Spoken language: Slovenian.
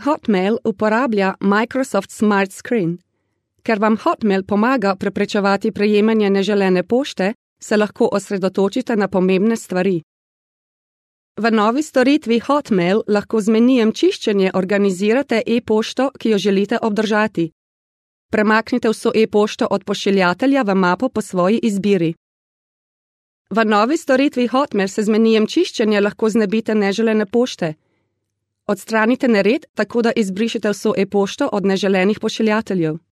Hotmail uporablja Microsoft Smart Screen. Ker vam Hotmail pomaga preprečevati prejemanje neželene pošte, se lahko osredotočite na pomembne stvari. V novi storitvi Hotmail lahko z menijem čiščenje organizirate e-pošto, ki jo želite obdržati. Premaknite vso e-pošto od pošiljatelja v mapo po svoji izbiri. V novi storitvi Hotmail se z menijem čiščenja lahko znebite neželene pošte. Odstranite nered, tako da izbrišete vso e-pošto od neželenih pošiljateljev.